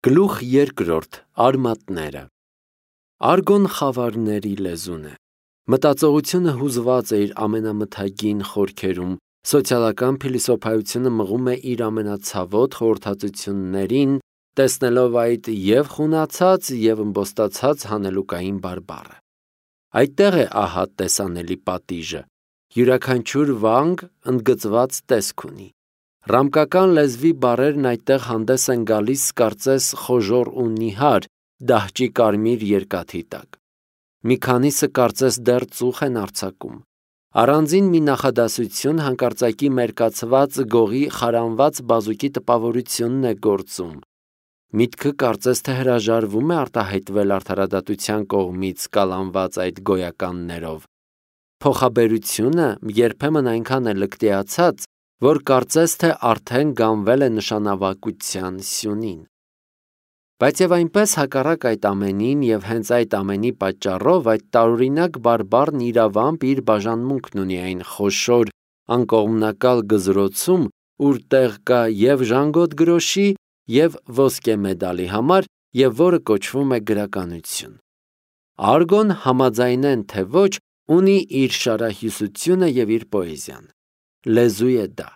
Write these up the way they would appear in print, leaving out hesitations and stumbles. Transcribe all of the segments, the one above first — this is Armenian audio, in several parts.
Գլուխ երկրորդ. Արմատները։ Արգոն խավարների լեզուն է։ Մտածողությունը հուզված է իր ամենամթագին խորքերում, սոցիալական փիլիսոփայությունը մղում է իր ամենացավոտ խորհրդածություններին, տեսնելով այդ և խունացած, և ըմբոստացած հանելուկային բարբառը։ Այդտեղ է ահա տեսանելի պատիժը, յուրաքանչյուր վանգ ընդգծված տեսք ունի։ Ռամկական լեզվի բառերն այդտեղ հանդես են գալիս կարծես խոժոռ ու նիհար, դահճի կարմիր երկաթի տակ։ Մի քանիսը կարծես դեռ ծուխ են արձակում։ Առանձին մի նախադասություն հանկարծակի մերկացված գողի խարանված բազուկի տպավորությունն է գործում։ Միտքը կարծես թե հրաժարվում է արտահայտվել արդարադատության կողմից կալանված այդ գոյականներով։ Փոխաբերությունը երբեմն այնքան է լկտիացած, որ կարծես թե արդեն գանվել է նշանավակության սյունին։ Բայց և այնպես հակառակ այդ ամենին և հենց այդ ամենի պատճառով այդ տարօրինակ բարբառն իրավամբ իր բաժանմունքն ունի այն խոշոր, անկողմնակալ գզրոցում, ուր տեղ կա և ժանգոտ գրոշի, և ոսկե մեդալի համար, և որը կոչվում է գրականություն։ Արգոն, համաձայնեն թե ոչ, ունի իր շարահյուսությունը և իր պոեզիան։ Լեզու է դա։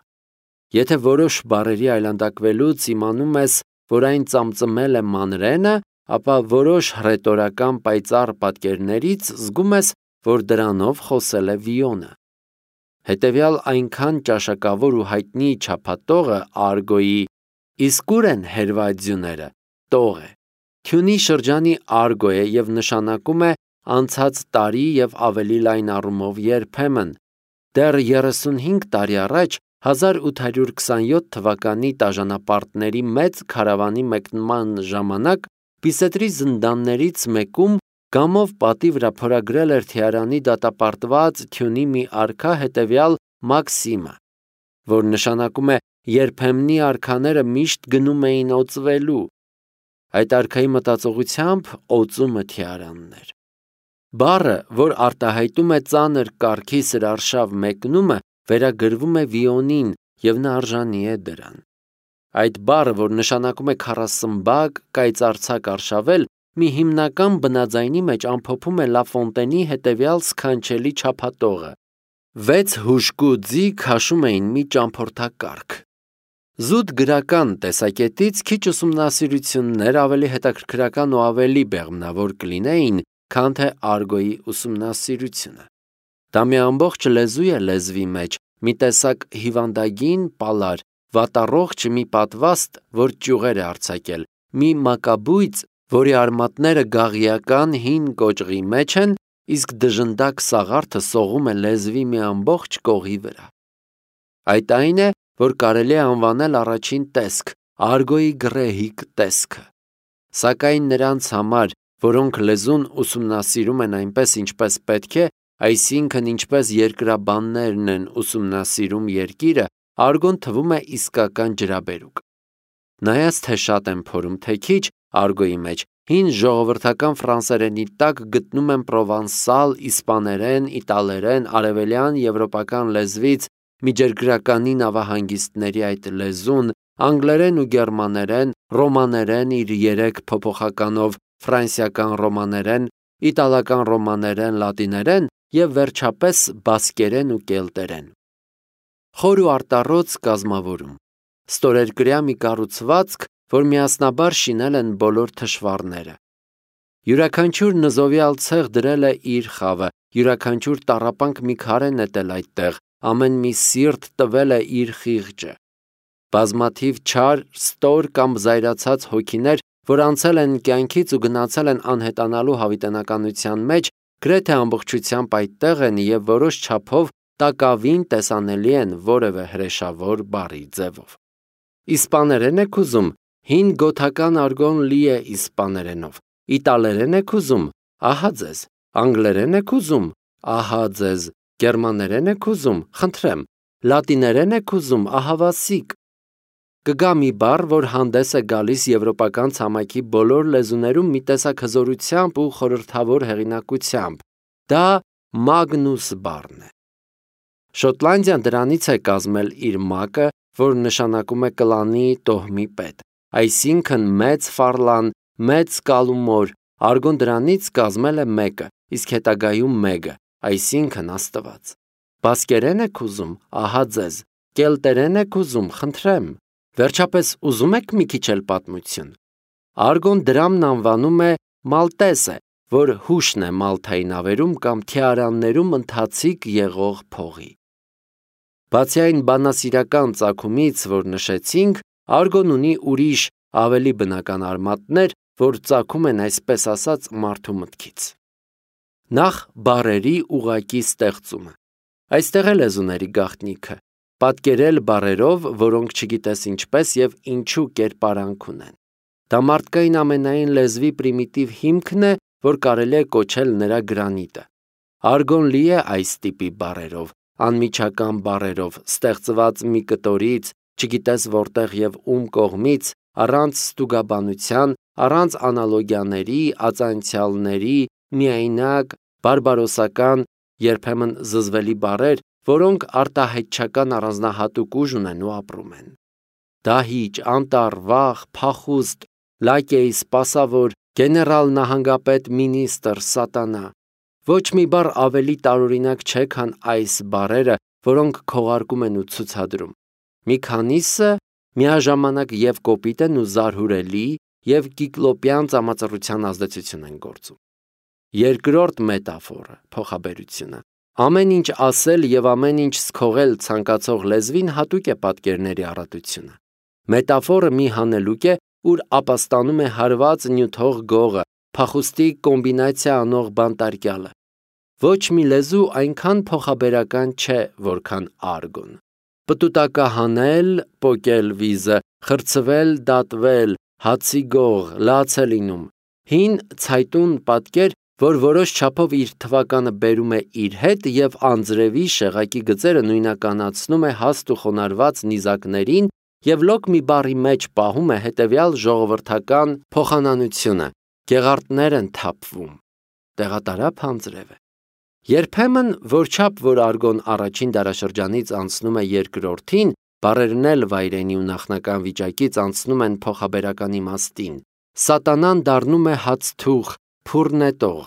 Եթե որոշ բառերի այլանդակվելուց իմանում ես, որ այն ծամծմել է մանրենը, ապա որոշ հռետորական պայծառ պատկերներից զգում ես, որ դրանով խոսել է Վիոնը։ Հետևյալ այնքան ճաշակավոր ու հայտնի չափատողը Արգոյի «Իսկ ուր են հերվադյուները» տող է։ Քյունի շրջանի Արգո է և նշանակում է անցած տարի և ավելի լայն առումով երբեմն։ Դեռ 35 տարի առաջ 1827 թվականի տաժանապարտների մեծ քարավանի մեկնման ժամանակ Բիսետրի զնդաններից մեկում գամով պատի վրա փորագրել էր Թեհրանի դատապարտված Քյունի մի արքա հետևյալ մաքսիմը, որ նշանակում է երբեմնի արքաները միշտ գնում էին օծվելու։ Այդ արքայի մտածողությամբ օծումը Թեհրանն էր։ Բառը, որ արտահայտում է ծանր կարգի սրարշավ մեկնումը, վերագրվում է Վիոնին և նա արժանի է դրան։ Այդ բառը, որ նշանակում է քառասմբակ, կայծարձակ արշավել, մի հիմնական բնաձայնի մեջ ամփոփում է Լա Ֆոնտենի հետևյալ սքանչելի չափատողը. 6 հուժկու ձի քաշում էին մի ճամփորդակառք։ Զուտ գրական տեսակետից քիչ ուսումնասիրություններ ավելի հետաքրքրական ու ավելի բեղմնավոր կլինեին, քան թե Արգոյի ուսումնասիրությունը։ Դա մի ամբողջ լեզու է լեզվի մեջ, մի տեսակ հիվանդագին պալար, վատառողջ մի պատվաստ, որ ճյուղեր է արձակել, մի մակաբույծ, որի արմատները գաղիական հին կոճղի մեջ են, իսկ դժնդակ սաղարթը սողում է լեզվի մի ամբողջ կողի վրա։ Այդ այն է, որ կարելի է անվանել առաջին տեսք, Արգոյի գռեհիկ տեսքը։ Սակայն նրանց համար, որոնք լեզուն ուսումնասիրում են այնպես, ինչպես պետք է, այսինքն ինչպես երկրաբաններն են ուսումնասիրում երկիրը, Արգոն թվում է իսկական ջրաբերուկ։ Նայած թե շատ եմ փորում, թե քիչ, Արգոյի մեջ հին ժողովրդական ֆրանսերենի տակ գտնում եմ պրովանսալ, իսպաներեն, իտալերեն, արևելյան եվրոպական լեզվից միջերգրականի նավահանգիստների այդ լեզուն, անգլերեն ու գերմաներեն, ռոմաներեն իր 3 փոփոխականով, ֆրանսիական ռոմաներեն, իտալական ռոմաներեն, լատիներեն և վերջապես բասկերեն ու կելտերեն։ Խոր ու արտառոց կազմավորում։ Ստորերկրյա մի կառուցվածք, որ միասնաբար շինել են բոլոր թշվառները։ Յուրաքանչյուր նզովյալ ցեղ դրել է իր խավը, յուրաքանչյուր տառապանք մի քար է նետել այդտեղ, ամեն մի սիրտ տվել է իր խիղճը։ Բազմաթիվ չար, ստոր կամ զայրացած հոգիներ, որ անցել են կյանքից ու գնացել են անհետանալու հավիտենականության մեջ, գրեթե ամբողջությամբ այդտեղ են և որոշ չափով տակավին տեսանելի են որևէ հրեշավոր բառի ձևով։ Իսպաներեն եք ուզում, հին գոթական արգոն լի է իսպաներենով, իտալերեն եք ուզում, ահա ձեզ, անգլերեն եք ուզում, ահա ձեզ, գերմաներեն եք ուզում, խնդրեմ, լատիներեն եք ուզում, ահավասիկ։ Կգա մի բառ, որ հանդես է գալիս եվրոպական ցամաքի բոլոր լեզուներում մի տեսակ հզորությամբ ու խորհրդավոր հեղինակությամբ։ Դա Մագնուս բառն է։ Շոտլանդիան դրանից է կազմել իր մակը, որ նշանակում է կլանի տոհմի պետ։ այսինքն մեծ ֆարլան, մեծ կալումոր, արգոն դրանից կազմել է մեկը, իսկ հետագայում մեկը, այսինքն Աստված։ Բասկերեն եք ուզում, ահա ձեզ, կելտերեն եք ուզում, խնդրեմ, վերջապես ուզում եք մի քիչ էլ պատմություն։ Արգոն դրամն անվանում է մալտեսը, որ հուշն է Մալթայի նավերում կամ թիարաններում ընթացիկ եղող փողի։ Բացի այն բանասիրական ծագումից, որ նշեցինք, արգոն ունի ուրիշ ավելի բնական արմատներ, որ ծագում են այսպես ասած մարդու մտքից։ Նախ բառերի ուղղակի ստեղծումը։ Այստեղ է լեզուների գաղտնիքը, պատկերել բառերով, որոնք չգիտես ինչպես եւ ինչու կերպարանք ունեն։ Դա մարդկային ամենայն լեզվի պրիմիտիվ հիմքն է, որ կարելի է կոչել նրա գրանիտը։ Արգոն լի է այս տիպի բառերով, անմիջական բառերով, ստեղծված մի կտորից, չգիտես որտեղ եւ ում կողմից, առանց ստուգաբանության, առանց անալոգիաների, ածանցյալների, միայնակ, բարբարոսական, երբեմն զզվելի բառեր, որոնք արտահայտչական առանձնահատուկ ուժ ունեն ու ապրում են։ Դահիճ, անտառ, վախ, փախուստ, լակեյ, սպասավոր, գեներալ, նահանգապետ, մինիստր, սատանա։ Ոչ մի բառ ավելի տարօրինակ չէ, քան այս բառերը, որոնք քողարկում են ու ցուցադրում։ Մի քանիսը միաժամանակ եւ կոպիտ են ու զարհուրելի եւ կիկլոպյան ծամածռության ազդեցություն են գործում։ Երկրորդ մետաֆորը, փոխաբերությունը։ Ամեն ինչ ասել եւ ամեն ինչ սքողել ցանկացող լեզվին հատուկ է պատկերների առատությունը։ Մետաֆորը մի հանելուկ է, ուր ապաստանում է հարված նյութող գողը, փախուստի կոմբինացիա անող բանտարկյալը։ Ոչ մի լեզու այնքան փոխաբերական չէ, որքան արգոն։ Պտուտակահանել, պոկել վիզը, խրցվել, դատվել, հացի գող, լաց է լինում։ Հին ցայտուն պատկեր, որ որոշ չափով իր թվականը բերում է իր հետ եւ անձրևի շեղակի գծերը նույնականացնում է հաստ ու խոնարհված նիզակներին եւ լոկ մի բառի մեջ պահում է հետեւյալ ժողովրդական փոխանանությունը. գեղարտներ են թափվում։ Տեղատարափ անձրև է։ Երբեմն, որչափ որ արգոն առաջին դարաշրջանից անցնում է երկրորդին, բառերն էլ վայրենի ու նախնական վիճակից անցնում են փոխաբերական իմաստին։ Սատանան դառնում է հացթուղ, փուռնետող։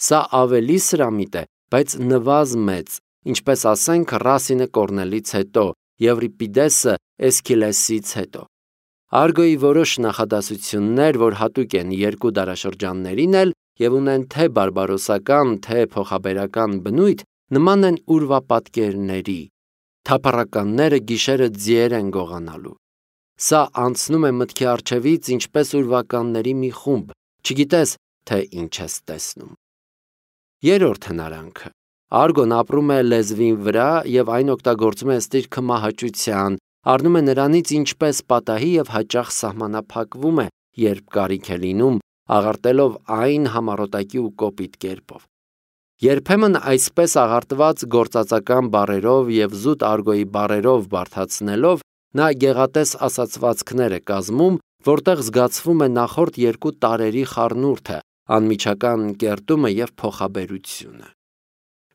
Սա ավելի սրամիտ է, բայց նվազ մեծ, ինչպես ասենք Ռասինը Կորնելից հետո, Եվրիպիդեսը Էսքիլեսից հետո։ Արգոյի որոշ նախադասություններ, որ հատուկ են երկու դարաշրջաններին էլ եւ ունեն թե բարբարոսական, թե փոխաբերական բնույթ, նման են ուրվապատկերների։ Թափառականները գիշերը ձիեր են գողանալու։ Սա անցնում է մտքի առջևից ինչպես ուրվականների մի խումբ, չգիտես, թե ինչ ես տեսնում։ Երրորդ հնարանքը։ Արգոն ապրում է լեզվի վրա եւ այն օգտագործում է ըստ իր քմահաճության, առնում է նրանից ինչպես պատահի եւ հաճախ սահմանափակվում է, երբ կարիք է լինում, աղարտելով այն համառոտակի ու կոպիտ կերպով։ Երբեմն այսպես աղարտված գործածական բառերով եւ զուտ արգոյի բառերով բարթացնելով նա գեղատես ասացվածքներ է կազմում, որտեղ զգացվում է նախորդ երկու տարերի խառնուրդը, անմիջական կերտումը եւ փոխաբերությունը։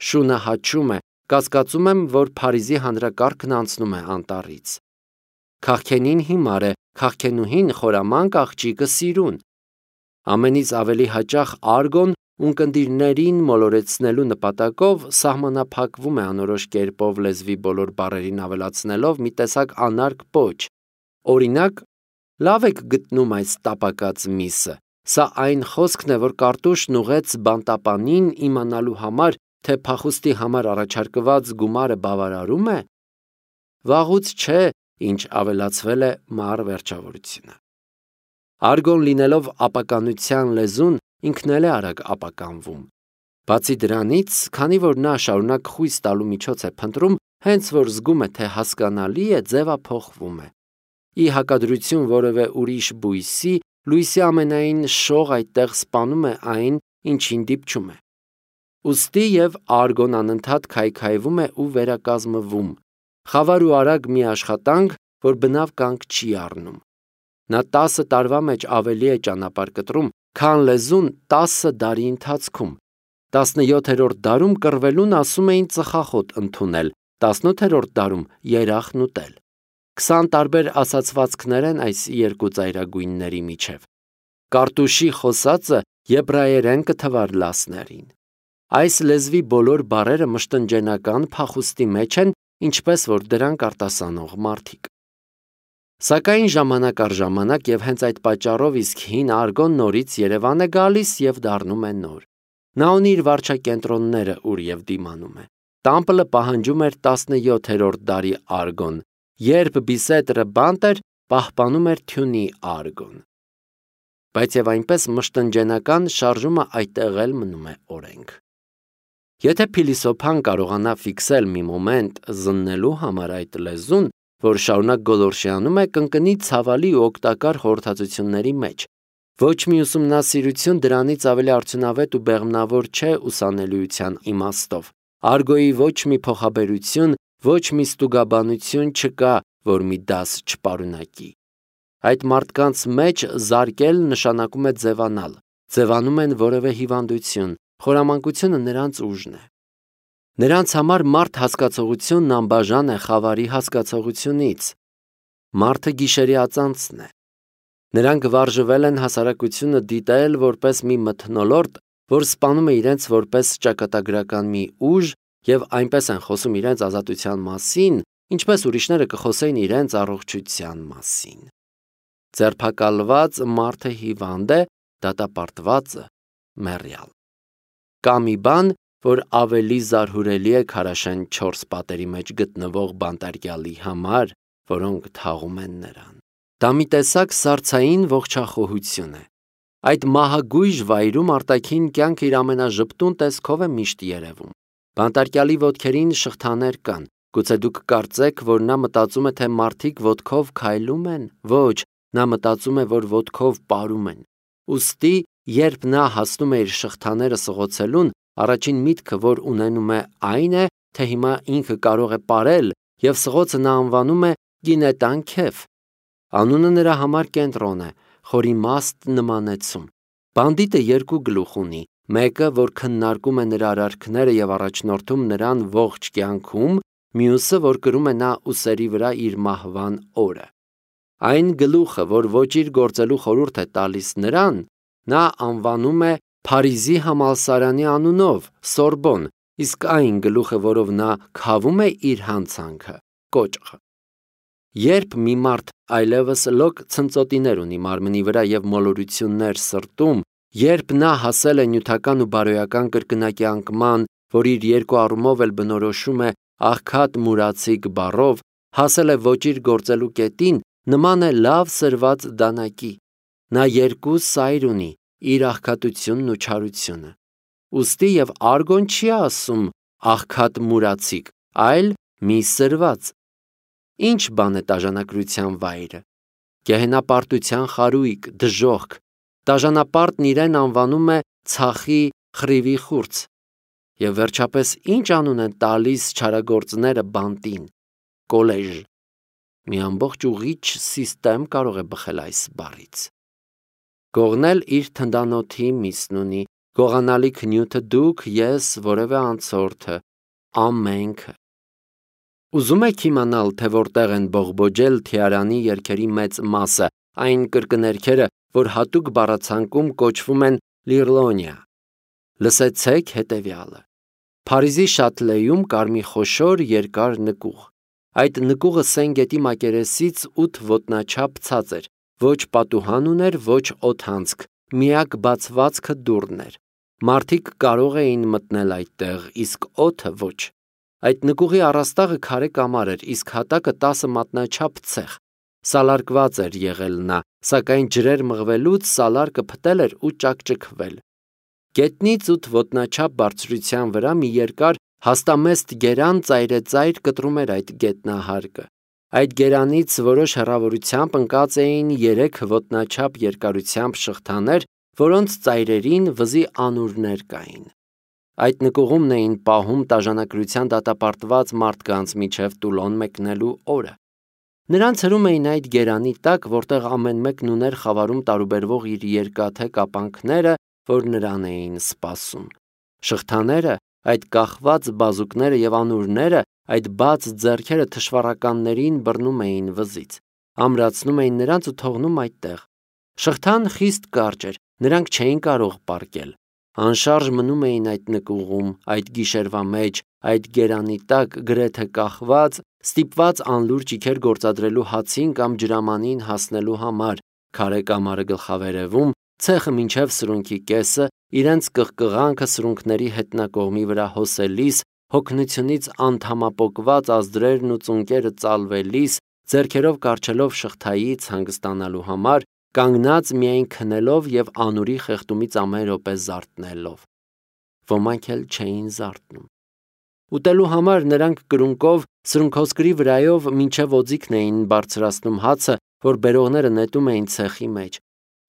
Շունը հաչում է, կասկածում եմ, որ Փարիզի հանրակարգն անցնում է անտառից։ Քաղքենին հիմար է, քաղքենուհին խորամանկ աղջիկը սիրուն։ Ամենից ավելի հաճախ արգոն ունկնդիրներին մոլորեցնելու նպատակով սահմանափակվում է անորոշ կերպով լեզվի բոլոր բառերին ավելացնելով մի տեսակ անարգ պոչ։ Օրինակ, լավ եք գտնում այս տապակած միսը։ Սա այն խոսքն է, որ Կարտուշն ուղեց բանտապանին իմանալու համար, թե փախուստի համար առաջարկված գումարը բավարարում է։ Վաղուց չէ, ինչ ավելացվել է մար վերջավորությունը։ Արգոն լինելով ապականության լեզուն, ինքն էլ է արագ ապականվում։ Բացի դրանից, քանի որ նա շարունակ խույս տալու միջոց է փնտրում, հենց որ զգում է, թե հասկանալի է, ձևափոխվում է։ Ի հակադրություն որևէ ուրիշ բույսի, լույսի ամենայն շող այդտեղ սպանում է այն, ինչին դիպչում է։ Ուստի եւ արգոն անընդհատ քայքայվում է ու վերակազմվում։ Խավար ու արագ մի աշխատանք, որ բնավ կանգ չի առնում։ Նա 10 տարվա մեջ ավելի է ճանապարհ կտրում, քան լեզուն 10 դարի ընթացքում։ 17-րդ դարում կռվելուն ասում էին ծխախոտ ընդունել, 18-րդ դարում երախն ուտել։ 20 տարբեր ասացվածքներ են այս երկու ծայրագույնների միջև։ Կարտուշի խոսածը եբրայերեն կթվար լասներին։ Այս լեզվի բոլոր բառերը մշտնջենական փախուստի մեջ են, ինչպես որ դրանք արտասանող մարդիկ։ Սակայն ժամանակ առ ժամանակ եւ հենց այդ պատճառով իսկ հին արգոն նորից Երևան է գալիս եւ դառնում է նոր։ Նա ունի իր վարչակենտրոնները, ուր եւ դիմանում է։ Տամպլը պահանջում էր 17-րդ դարի արգոն, երբ Բիսետրը բանտ էր, պահպանում էր թյունի արգոն։ Բայց եւ այնպես մշտնջենական շարժումը այդտեղ էլ մնում է օրենք։ Եթե փիլիսոփան կարողանա ֆիքսել մի մոմենտ զննելու համար այդ լեզուն, որ շարունակ գոլորշիանում է, կընկնի ցավալի ու օգտակար խորհրդածությունների մեջ։ Ոչ մի ուսումնասիրություն դրանից ավելի արդյունավետ ու բեղմնավոր չէ ուսանելիության իմաստով։ Արգոյի ոչ մի փոխաբերություն, ոչ մի ստուգաբանություն չկա, որ մի դաս չպարունակի։ Այդ մարդկանց մեջ զարկել նշանակում է ձևանալ, ձևանում են որևէ հիվանդություն, խորամանկությունը նրանց ուժն է։ Նրանց համար մարդ հասկացողությունն անբաժան է խավարի հասկացողությունից։ Մարդը գիշերի ածանցն է։ Նրանք վարժվել են հասարակությունը դիտել որպես մի մթնոլորտ, որ սպանում է իրենց որպես ճակատագրական մի ուժ եւ այնպես են խոսում իրենց ազատության մասին, ինչպես ուրիշները կխոսեին իրենց առողջության մասին։ Ձերբակալված մարդը հիվանդ է, դատապարտվածը մեռյալ։ Կա մի բան, որ ավելի զարհուրելի է քարաշեն 4 պատերի մեջ գտնվող բանտարկյալի համար, որոնք թաղում են նրան։ Դա մի տեսակ սառցային ողջախոհություն է։ Այդ մահագույժ վայրում արտաքին կյանքը իր ամենաժպտուն տեսքով է միշտ երևում։ Բանտարկյալի ոտքերին շղթաներ կան։ Գուցե դուք կարծեք, որ նա մտածում է, թե մարդիկ ոտքով քայլում են։ Ոչ, նա մտածում է, որ ոտքով պարում են։ Ուստի, երբ նա հասնում է իր շղթաները սղոցելուն, առաջին միտքը, որ ունենում է, այն է, թե հիմա ինքը կարող է պարել, եւ սղոցը նա անվանում է գինետան քեֆ։ Անունը նրա համար կենտրոն է, խորիմաստ նմանեցում։ Բանդիտը երկու գլուխ ունի, մեկը, որ քննարկում է նրա արարքները եւ առաջնորդում նրան ողջ կյանքում, մյուսը, որ կրում է նա ուսերի վրա իր մահվան օրը։ Այն գլուխը, որ ոճիր գործելու խորհուրդ է տալիս նրան, նա անվանում է Փարիզի համալսարանի անունով Սորբոն, իսկ այն գլուխը, որով նա քավում է իր հանցանքը, կոճղ։ Երբ մի մարդ այլևս լոկ ցնծոտիներ ունի մարմնի վրա եւ մոլորություններ սրտում, երբ նա հասել է նյութական ու բարոյական կրկնակի անկման, որ իր երկու առումով էլ բնորոշում է աղքատ մուրացիկ բառով, հասել է ոճիր գործելու կետին, նման է լավ սրված դանակի։ Նա երկու սայր ունի, իր աղքատությունն ու չարությունը։ Ուստի եւ արգոն չի ասում աղքատ մուրացիկ, այլ մի սրված։ Ինչ բան է տաժանակրության վայրը։ Գեհենապարտության խարույկ, դժոխք։ Տաժանապարտն իրեն անվանում է ցախի խրիվի խուրձ։ Եվ վերջապես ինչ անուն են տալիս չարագործները բանտին։ Կոլեժ։ Մի ամբողջ ուղիչ սիստեմ կարող է բխել այս բառից։ Գողնել իր թնդանոթի միսն ունի, գողանալիք նյութը դուք, ես, որևէ անցորդը, ամենքը։ Ուզում եք իմանալ, թե որտեղ են բողբոջել Թիարանի երգերի մեծ մասը, այն կրկներգերը, որ հատուկ բառացանկում կոչվում են լիրլոնիա։ Լսեցեք հետևյալը։ Փարիզի Շատլեում կար մի խոշոր երկար նկուղ։ Այդ նկուղը Սեն գետի մակերեսից 8 ոտնաչափ ցած էր, ոչ պատուհան ուներ, ոչ օդանցք, միակ բացվածքը դուռն էր։ Մարդիկ կարող էին մտնել այդտեղ, իսկ օդը ոչ։ Այդ նկուղի առաստաղը քարե կամար էր, իսկ հատակը 10 մատնաչափ ցեխ։ Սալարկված էր եղել նա, սակայն ջրեր մղվելուց սալարկը փտել էր ու ճակճկվել։ Գետնից 8 ոտնաչափ բարձրության վրա մի երկար հաստամեստ գերան ծայրեծայր կտրում էր այդ գետնահարկը։ Այդ գերանից որոշ հեռավորությամբ ընկած էին 3 ոտնաչափ երկարությամբ շղթաներ, որոնց ծայրերին վզի անուրներ կային։ Այդ նկուղումն էին պահում տաժանակրության դատապարտված մարդկանց միջև Տուլոն մեկնելու օրը։ Նրանց հրում էին այդ գերանի տակ, որտեղ ամեն մեկն ուներ խավարում տարուբերվող իր երկաթե կապանքները, որ նրան էին սպասում։ Շղթաները, այդ կախված բազուկները եւ անուրները այդ բաց ձեռքերը թշվառականներին բռնում էին վզից, ամրացնում էին նրանց ու թողնում այդտեղ։ Շղթան խիստ կարճ էր, նրանք չէին կարող պառկել։ Անշարժ մնում էին այդ նկուղում, այդ գիշերվա մեջ, այդ գերանի տակ գրեթե կախված, ստիպված անլուր ճիգեր գործադրելու հացին կամ ջրամանին հասնելու համար, քարե կամարը գլխավերևում, ցեխը մինչև սրունքի կեսը, իրենց կղկղանքը սրունքների հետնակողմի վրա հոսելիս, հոգնությունից անդամապոկված ազդրերն ու ծունկերը ծալվելիս, ձեռքերով կառչելով շղթայից հանգստանալու համար, կանգնած միայն քնելով և անուրի խեղդումից ամեն րոպե զարթնելով։ Ոմանք էլ չէին զարթնում։ Ուտելու համար նրանք կրունկով, սրունքոսկրի վրայով մինչև օձիքն էին բարձրացնում հացը, որ բերողները նետում էին ցեխի մեջ։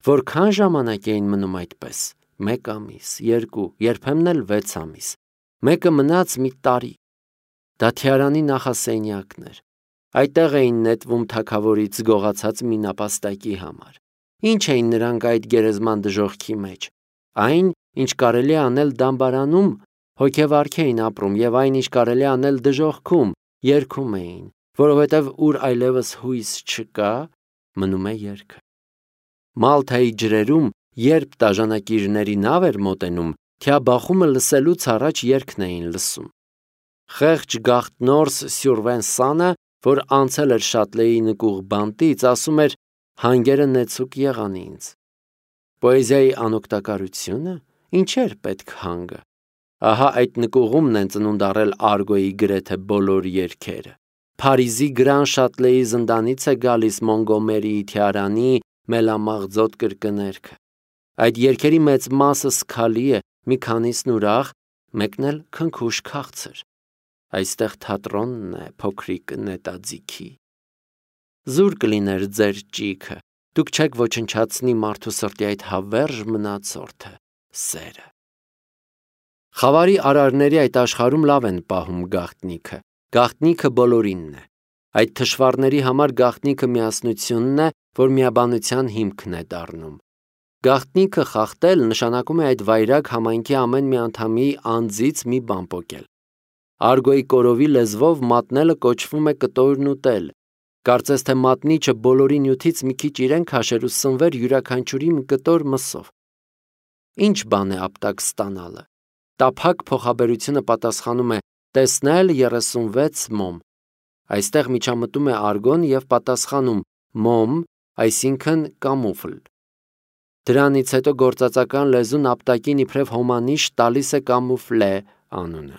Որքան ժամանակ էին մնում այդպես։ 1 ամիս, 2, երբեմն էլ 6 ամիս։ Մեկը մնաց մի տարի։ Դաթյարանի նախասենյակն էր։ Այդտեղ էին նետվում թագավորից գողացած մի նապաստակի համար։ Ինչ էին նրանք այդ գերեզման դժոխքի մեջ։ Այն, ինչ կարելի է անել դամբարանում, հոգևարք էին ապրում, և այն, ինչ կարելի է անել դժոխքում, երգում էին, որովհետև ուր այլևս հույս չկա, մնում է երգը։ Մալթայի ջրերում, երբ տաժանակիրների նավ էր մոտենում, թիաբախումը լսելուց առաջ երգն էին լսում։ Խեղճ գաղտնորս Սյուրվենսանը, որ անցել էր Շատլեի նկուղ բանտից, ասում էր. «Հանգերը նեցուկ եղան ինձ»։ Պոեզիայի անօգտակարությունը, ինչեր պետք հանգը։ Ահա այդ նկուղումն են ծնունդ առել Արգոյի գրեթե բոլոր երգերը։ Փարիզի Գրան Շատլեի զնդանից է գալիս Մոնգոմերիի Թիարանի մելամաղձոտ կրկներգը։ Այդ երգերի մեծ մասը սգալի է, մի քանիսն ուրախ, մեկն էլ քնքուշ քաղցր։ Այստեղ թատրոնն է փոքրիկ նետաձիգի։ Զուր կլիներ ձեր ճիգը, դուք չեք ոչնչացնի մարդու սրտի այդ հավերժ մնացորդը՝ սերը։ Խավարի արարների այդ աշխարհում լավ են պահում գաղտնիքը։ Գաղտնիքը բոլորինն է։ Այդ թշվառների համար գաղտնիքը միասնությունն է, որ միաբանության հիմքն է դառնում։ Գաղտնիքը խախտել նշանակում է այդ վայրագ համայնքի ամեն մի անդամի անձից մի բան պոկել։ Արգոյի կորովի լեզվով մատնելը կոչվում է կտորն ուտել։ Կարծես թե մատնիչը բոլորի նյութից մի քիչ իրեն քաշեր ու սնվեր յուրաքանչյուրի մի կտոր մսով։ Ինչ բան է ապտակ ստանալը։ Տափակ փոխաբերությունը պատասխանում է տեսնել 36 մոմ։ Այստեղ միջամտում է արգոն և պատասխանում մոմ, այսինքն կամուֆլ։ Դրանից հետո գործածական լեզուն ապտակին իբրև հոմանիշ տալիս է կամուֆլե անունը։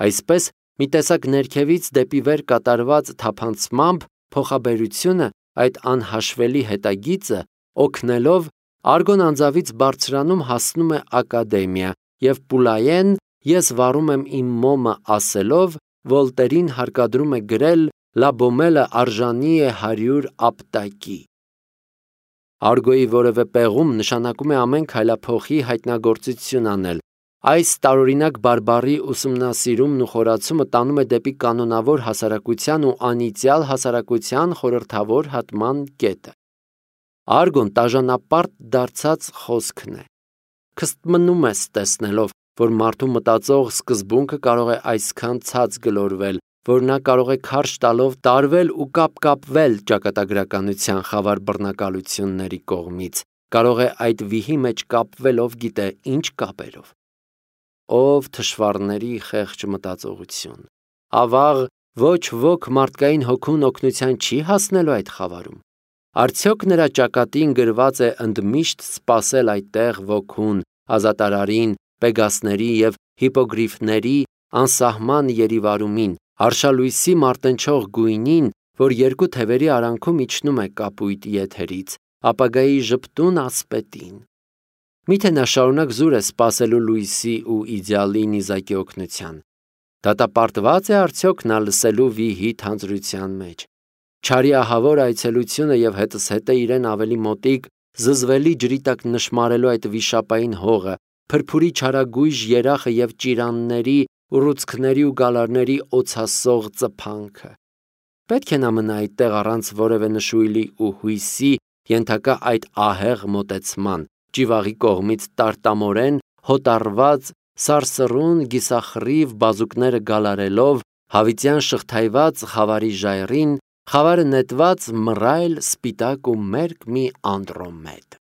Այսպես, մի տեսակ ներքևից դեպի վեր կատարված թափանցմամբ փոխաբերությունը, այդ անհաշվելի հետագիծը, օգնելով, արգոն անձավից բարձրանում հասնում է ակադեմիա, և Պուլայեն «Ես վառում եմ իմ մոմը» ասելով, Վոլտերին հարկադրում է գրել «Լա Բոմելը արժանի է 100 ապտակի»։ Արգոյի որևէ պեղում նշանակում է ամեն քայլափոխի հայտնագործություն անել։ Այս տարօրինակ բարբառի ուսումնասիրումն ու խորացումը տանում է դեպի կանոնավոր հասարակության ու անիծյալ հասարակության խորհրդավոր հատման կետը։ Արգոն տաժանապարտ դարձած խոսքն է։ Քստմնում ես տեսնելով, որ մարդու մտածող սկզբունքը կարող է այսքան ցած գլորվել, որ նա կարող է քարշ տալով տարվել ու կապկապվել ճակատագրականության խավար բռնակալությունների կողմից, կարող է այդ վիհի մեջ կապվել ով գիտե ինչ կապերով։ Ով թշվառների խեղճ մտածողություն։ Ավաղ, ոչ ոք մարդկային հոգուն օգնության չի հասնելու այդ խավարում։ Արդյոք նրա ճակատին գրված է ընդմիշտ սպասել այդտեղ ոգուն, ազատարարին, պեգասների և հիպոգրիֆների անսահման երիվարումին, արշալույսի մարտնչող գույնին, որ երկու թևերի արանքում իջնում է կապույտ եթերից, ապագայի ժպտուն ասպետին։ Միթե նա շարունակ զուր է սպասելու լույսի ու իդեալի նիզակի օգնության։ Դատապարտված է արդյոք նա լսելու վիհի թանձրության մեջ։ Չարի ահավոր այցելությունը և հետզհետե իրեն ավելի մոտիկ, զզվելի ջրի տակ նշմարելու այդ վիշապային հողը, փրփուրի չարագույժ երախը և ճիրանների, ուռուցքների ու գալարների օձասող ծփանքը։ Պետք է նա մնա այդտեղ առանց որևէ նշույլի ու հույսի, ենթակա այդ ահեղ մոտեցման, ճիվաղի կողմից տարտամորեն հոտառված, սարսռուն գիսախռիվ բազուկները գալարելով, Հավիտյան շղթայված խավարի ժայռին, խավարը նետված մռայլ, սպիտակ ու մերկ մի Անդրոմեդ։